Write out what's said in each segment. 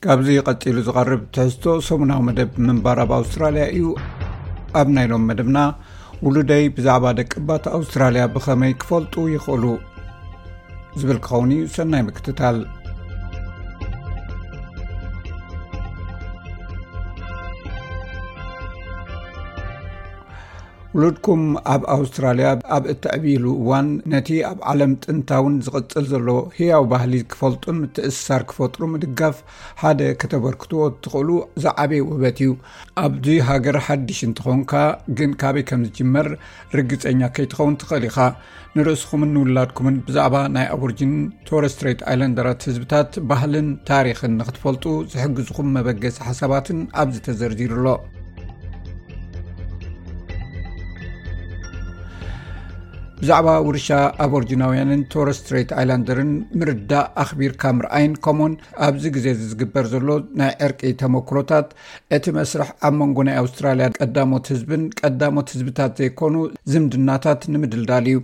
ካብዚ ቀጺሉ ዝቐርብ ትሕዝቶ ሰሙናዊ መደብ ምንባር ኣብ ኣውስትራልያ እዩ። ኣብ ናይ ሎም መደብና፣ ውሉደይ ብዛዕባ ደቅባት ኣውስትራልያ ብኸመይ ክፈልጡ ይኽእሉ ዝብል ክኸውን እዩ። ሰናይ ምክትታል። ውሉድኩም ኣብ ኣውስትራልያ ኣብ እትዕብይሉ እዋን፣ ነቲ ኣብ ዓለም ጥንታውን ዝቕጽል ዘሎ ህያው ባህሊ ክፈልጡን ምትእስሳር ክፈጥሩ ምድጋፍ ሓደ ከተበርክትዎ እትኽእሉ ዝዓበየ ውህበት እዩ። ኣብዚ ሃገር ሓድሽ እንተኾንካ ግን፣ ካበይ ከም ዝጅመር ርግጸኛ ከይትኸውን ትኽእል ኢኻ። ንርእስኹምን ንውላድኩምን ብዛዕባ ናይ ኣቦርጂን ቶረስ ስትሬት ኣይላንደራት ህዝብታት ባህልን ታሪኽን ንኽትፈልጡ ዝሕግዝኹም መበገሲ ሓሳባትን ኣብዚ ተዘርዚሩ ኣሎ። ብዛዕባ ውርሻ ኣቦርጂናውያንን ቶረስ ስትሬት ኣይላንደርን ምርዳእ፣ ኣኽቢርካ ምርኣይን፣ ከምኡውን ኣብዚ ግዜ እዚ ዝግበር ዘሎ ናይ ዕርቂ ተመክሮታት፣ እቲ መስርሕ ኣብ መንጎ ናይ ኣውስትራልያ ቀዳሞት ህዝብን ቀዳሞት ህዝብታት ዘይኮኑ ዝምድናታት ንምድልዳል እዩ።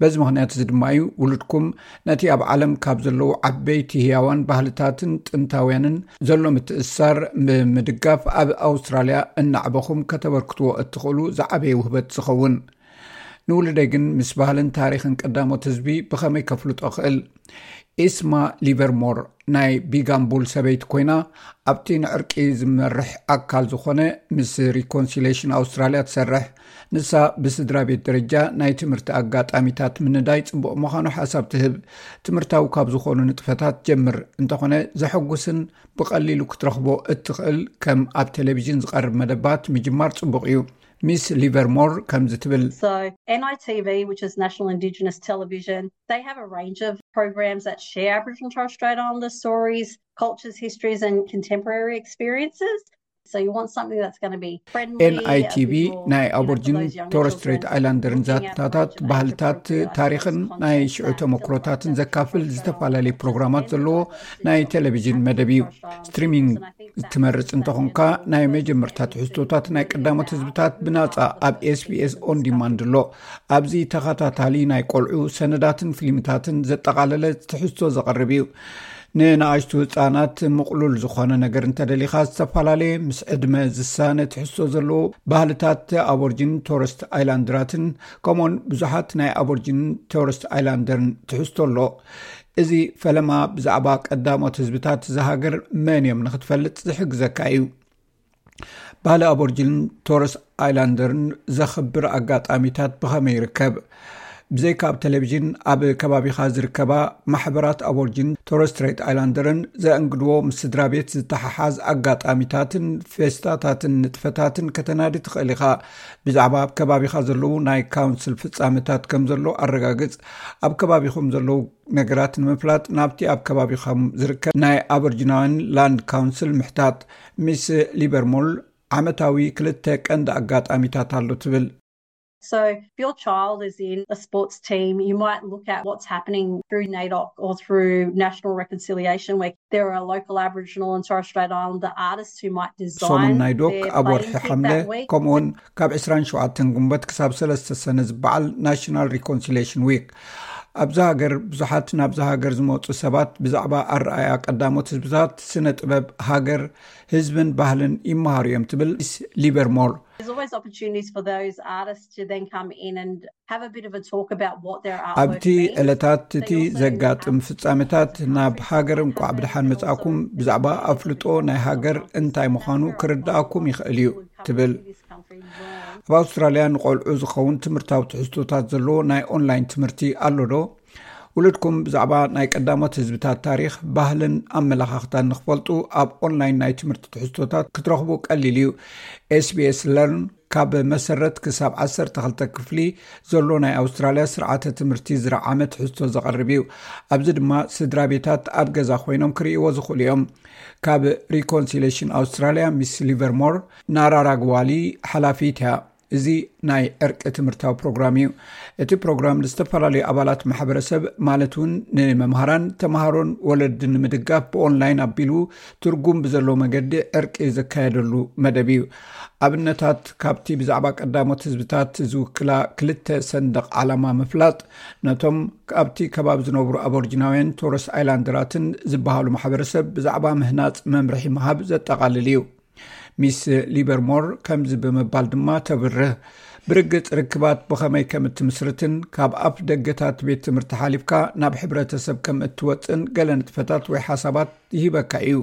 በዚ ምኽንያት እዚ ድማ እዩ ውሉድኩም ነቲ ኣብ ዓለም ካብ ዘለዉ ዓበይቲ ህያዋን ባህልታትን ጥንታውያንን ዘሎ ምትእስሳር ብምድጋፍ፣ ኣብ ኣውስትራልያ እናዕበኹም ከተበርክትዎ እትኽእሉ ዝዓበየ ውህበት ዝኸውን። ንውሉደይ ግን ምስ ባህልን ታሪኽን ቀዳሞት ህዝቢ ብኸመይ ከፍልጦ ክእል? ኢስማ ሊቨርሞር ናይ ቢጋምቡል ሰበይቲ ኮይና፣ ኣብቲ ንዕርቂ ዝመርሕ ኣካል ዝኾነ ምስ ሪኮንሲሌሽን ኣውስትራልያ ትሰርሕ። ንሳ ብስድራ ቤት ደረጃ ናይ ትምህርቲ ኣጋጣሚታት ምንዳይ ጽቡቕ ምዃኑ ሓሳብ ትህብ። ትምህርታዊ ካብ ዝኾኑ ንጥፈታት ጀምር፣ እንተኾነ ዘሐጉስን ብቐሊሉ ክትረኽቦ እትኽእል ከም ኣብ ቴሌቪዥን ዝቐርብ መደባት ምጅማር ጽቡቕ እዩ። ሚስ ሊቨርሞር ከምዚ ትብል። So N I T V, which is National Indigenous Television, they have a range of programs that share Aboriginal and Torres Strait Islander stories, cultures, histories and contemporary experiences. So you want something that's going to be friendly. ኤን ኣይ ቲ ቪ ናይ ኣቦርጂን ቶረስ ስትሬት ኣይላንደርን ዛንታታት፣ ባህልታት፣ ታሪኽን ናይ ሽዑ ተመክሮታትን ዘካፍል ዝተፈላለዩ ፕሮግራማት ዘለዎ ናይ ቴሌቪዥን መደብ እዩ። ስትሪሚንግ ትመርጽ እንተኾንካ፣ ናይ መጀመርታ ትሕዝቶታት ናይ ቀዳሞት ህዝብታት ብናጻ ኣብ ኤስ ቢ ኤስ ኦን ዲማንድ ኣሎ። ኣብዚ ተኸታታሊ ናይ ቆልዑ ሰነዳትን ፊልምታትን ዘጠቓለለ ትሕዝቶ ዘቕርብ እዩ። ንንኣሽቱ ህጻናት ምቕሉል ዝኾነ ነገር እንተደሊኻ፣ ዝተፈላለየ ምስ ዕድመ ዝሳነ ትሕዝቶ ዘለዎ ባህልታት ኣቦርጂን ቶረስት ኣይላንደራትን፣ ከምኡውን ብዙሓት ናይ ኣቦርጂን ቶረስት ኣይላንደርን ትሕዝቶ ኣሎ። እዚ ፈለማ ብዛዕባ ቀዳሞት ህዝብታት እዛ ሃገር መን እዮም ንኽትፈልጥ ዝሕግዘካ እዩ። ባህሊ ኣቦርጂን ቶረስ ኣይላንደርን ዘኽብር ኣጋጣሚታት ብኸመይ ይርከብ? ብዘይካ ኣብ ቴሌቪዥን፣ ኣብ ከባቢኻ ዝርከባ ማሕበራት ኣቦርጂን ቶረስ ስትሬት ኣይላንደርን ዘእንግድዎ ምስ ስድራ ቤት ዝተሓሓዝ ኣጋጣሚታትን ፌስታታትን ንጥፈታትን ከተናዲ ትኽእል ኢኻ። ብዛዕባ ኣብ ከባቢኻ ዘለዉ ናይ ካውንስል ፍጻመታት ከም ዘሎ ኣረጋግጽ። ኣብ ከባቢኹም ዘለዉ ነገራት ንምፍላጥ፣ ናብቲ ኣብ ከባቢኹም ዝርከብ ናይ ኣቦርጂናውያን ላንድ ካውንስል ምሕታት። ሚስ ሊበርሞል፣ ዓመታዊ ክልተ ቀንዲ ኣጋጣሚታት ኣሎ ትብል። So if your child is in a sports team, you might look at what's happening through NAIDOC or through National Reconciliation, where there are local Aboriginal and Torres Strait Islander artists who might design. ሶምን ናይ ዶክ ኣብ ወርሒ ሓምለ፣ ከምኡውን ካብ ዕስራን ሸውዓተን ጉንበት ክሳብ ሰለስተ ሰነ ዝበዓል ናሽናል ሪኮንሲሌሽን ዊክ። ኣብዚ ሃገር ብዙሓት ናብዚ ሃገር ዝመፁ ሰባት ብዛዕባ ኣረኣያ ቀዳሞት ህዝብታት፣ ስነ ጥበብ፣ ሃገር፣ ህዝብን ባህልን ይመሃሩ እዮም ትብል ሚስ ሊበርሞር። There's always opportunities for those artists to then come in and have a bit of a talk about what their artwork ኣብቲ ዕለታት እቲ ዘጋጥም ፍጻሜታት ናብ ሃገር እንቋዕ ብደሓን መጻእኩም ብዛዕባ ኣፍልጦ ናይ ሃገር እንታይ ምዃኑ ክርድኣኩም ይኽእል እዩ ትብል። ኣብ ኣውስትራልያ ንቆልዑ ዝኸውን ትምህርታዊ ትሕዝቶታት ዘለዎ ናይ ኦንላይን ትምህርቲ ኣሎ ዶ? ውሉድኩም ብዛዕባ ናይ ቀዳሞት ህዝብታት ታሪኽ፣ ባህልን ኣመለኻኽታን ንኽፈልጡ ኣብ ኦንላይን ናይ ትምህርቲ ትሕዝቶታት ክትረኽቡ ቀሊል እዩ። ኤስ ቢ ኤስ ለርን ካብ መሰረት ክሳብ ዓሰርተ ክልተ ክፍሊ ዘሎ ናይ ኣውስትራልያ ስርዓተ ትምህርቲ ዝረዓመ ትሕዝቶ ዘቕርብ እዩ። ኣብዚ ድማ ስድራ ቤታት ኣብ ገዛ ኮይኖም ክርእይዎ ዝኽእሉ እዮም። ካብ ሪኮንሲሌሽን ኣውስትራልያ ሚስ ሊቨርሞር ናራራግዋሊ ሓላፊት እያ። እዚ ናይ ዕርቂ ትምህርታዊ ፕሮግራም እዩ። እቲ ፕሮግራም ንዝተፈላለዩ ኣባላት ማሕበረሰብ፣ ማለት እውን ንመምሃራን፣ ተምሃሮን ወለድን ንምድጋፍ ብኦንላይን ኣቢሉ ትርጉም ብዘለዎ መገዲ ዕርቂ ዘካየደሉ መደብ እዩ። ኣብነታት ካብቲ ብዛዕባ ቀዳሞት ህዝብታት ዝውክላ ክልተ ሰንደቕ ዓላማ ምፍላጥ፣ ነቶም ኣብቲ ከባቢ ዝነብሩ ኣቦርጂናውያን ቶረስ ኣይላንደራትን ዝበሃሉ ማሕበረሰብ ብዛዕባ ምህናፅ መምርሒ ምሃብ ዘጠቓልል እዩ። ሚስ ሊበርሞር ከምዚ ብምባል ድማ ተብርህ፣ ብርግጽ ርክባት ብኸመይ ከም እትምስርትን ካብ ኣፍ ደገታት ቤት ትምህርቲ ሓሊፍካ ናብ ሕብረተሰብ ከም እትወጽእን ገለ ንጥፈታት ወይ ሓሳባት ይህበካ እዩ።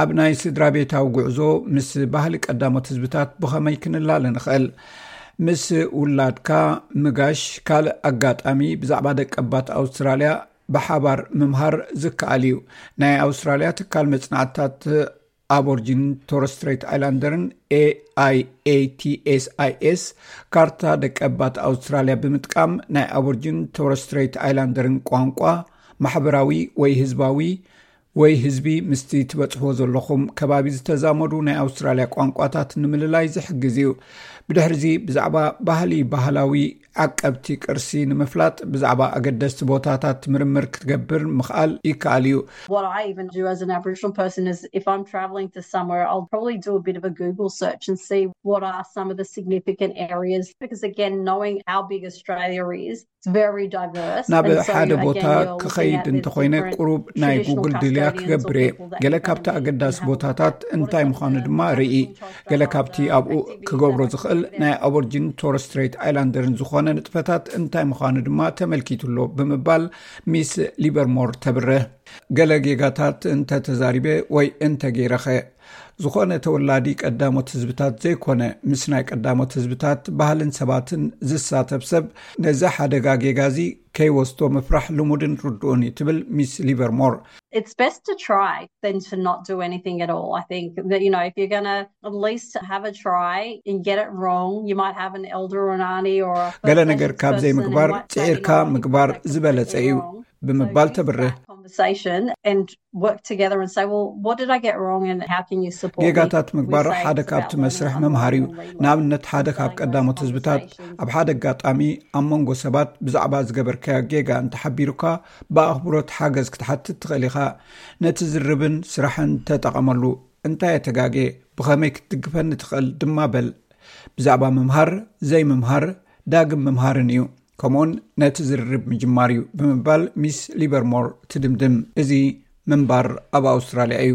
ኣብ ናይ ስድራ ቤታዊ ጉዕዞ ምስ ባህሊ ቀዳሞት ህዝብታት ብኸመይ ክንላለ ንኽእል? ምስ ውላድካ ምጋሽ ካልእ ኣጋጣሚ ብዛዕባ ደቀባት ኣውስትራልያ ብሓባር ምምሃር ዝከኣል እዩ። ናይ ኣውስትራልያ ትካል መጽናዕትታት ኣቦርጂን ቶረስ ስትሬት ኣይላንደርን ኤኣይኤቲኤስኣይኤስ ካርታ ደቀባት ኣውስትራልያ ብምጥቃም ናይ ኣቦርጂን ቶረስ ስትሬት ኣይላንደርን ቋንቋ፣ ማሕበራዊ ወይ ህዝባዊ ወይ ህዝቢ ምስቲ ትበጽሕዎ ዘለኹም ከባቢ ዝተዛመዱ ናይ ኣውስትራልያ ቋንቋታት ንምልላይ ዝሕግዝ እዩ። ብድሕርዚ ብዛዕባ ባህሊ፣ ባህላዊ ዓቀብቲ ቅርሲ ንምፍላጥ ብዛዕባ ኣገደስቲ ቦታታት ምርምር ክትገብር ምኽኣል ይከኣል እዩ። What I even do as an Aboriginal person is if I'm travelling to somewhere, I'll probably do a bit of a Google search and see what are some of the significant areas. Because again, knowing how big Australia is, it's very diverse. ናብ ሓደ ቦታ ክኸይድ እንተኾይነ ቁሩብ ናይ ጉግል ድልያ ክገብር እየ። ገለ ካብቲ ኣገዳሲ ቦታታት እንታይ ምዃኑ ድማ ርኢ። ገለ ካብቲ ኣብኡ ክገብሮ ዝኽእል ናይ ኣቦርጂን ቶረስ ስትሬት ኣይላንደርን ዝኾነ ንጥፈታት እንታይ ምዃኑ ድማ ተመልኪቱ ኣሎ ብምባል ሚስ ሊበርሞር ተብርህ። ገለ ጌጋታት እንተ ተዛሪበ ወይ እንተ ገይረኸ፣ ዝኾነ ተወላዲ ቀዳሞት ህዝብታት ዘይኮነ ምስ ናይ ቀዳሞት ህዝብታት ባህልን ሰባትን ዝሳተፍ ሰብ ነዚ ሓደጋ ጌጋ እዚ ከይወስዶ ምፍራሕ ልሙድን ርዱእን እዩ ትብል ሚስ ሊበርሞር። It's best to try than to not do anything at all. I think that, you know, if you're going to at least have a try and get it wrong, you might have an elder or an auntie or a ገለ ነገር ካብ ዘይምግባር ጽዒርካ ምግባር ዝበለጸ እዩ ብምባል ተብርህ። Conversation and work together and say, well, what did I get wrong and how can you support? ጌጋታት ምግባር ሓደ ካብቲ መስርሕ ምምሃር እዩ። ንኣብነት ሓደ ካብ ቀዳሞት ህዝብታት ኣብ ሓደ ኣጋጣሚ ኣብ መንጎ ሰባት ብዛዕባ ዝገበርካዮ ጌጋ እንተሓቢሩካ ብኣኽብሮት ሓገዝ ክትሓትት ትኽእል ኢኻ። ነቲ ዝርብን ስራሕን ተጠቐመሉ። እንታይ የተጋጌ፣ ብኸመይ ክትድግፈኒ ትኽእል ድማ በል። ብዛዕባ ምምሃር፣ ዘይምምሃር፣ ዳግም ምምሃርን እዩ። ከምኡውን ነቲ ዝርርብ ምጅማር እዩ ብምባል ሚስ ሊበርሞር ትድምድም። እዚ ምንባር ኣብ ኣውስትራልያ እዩ።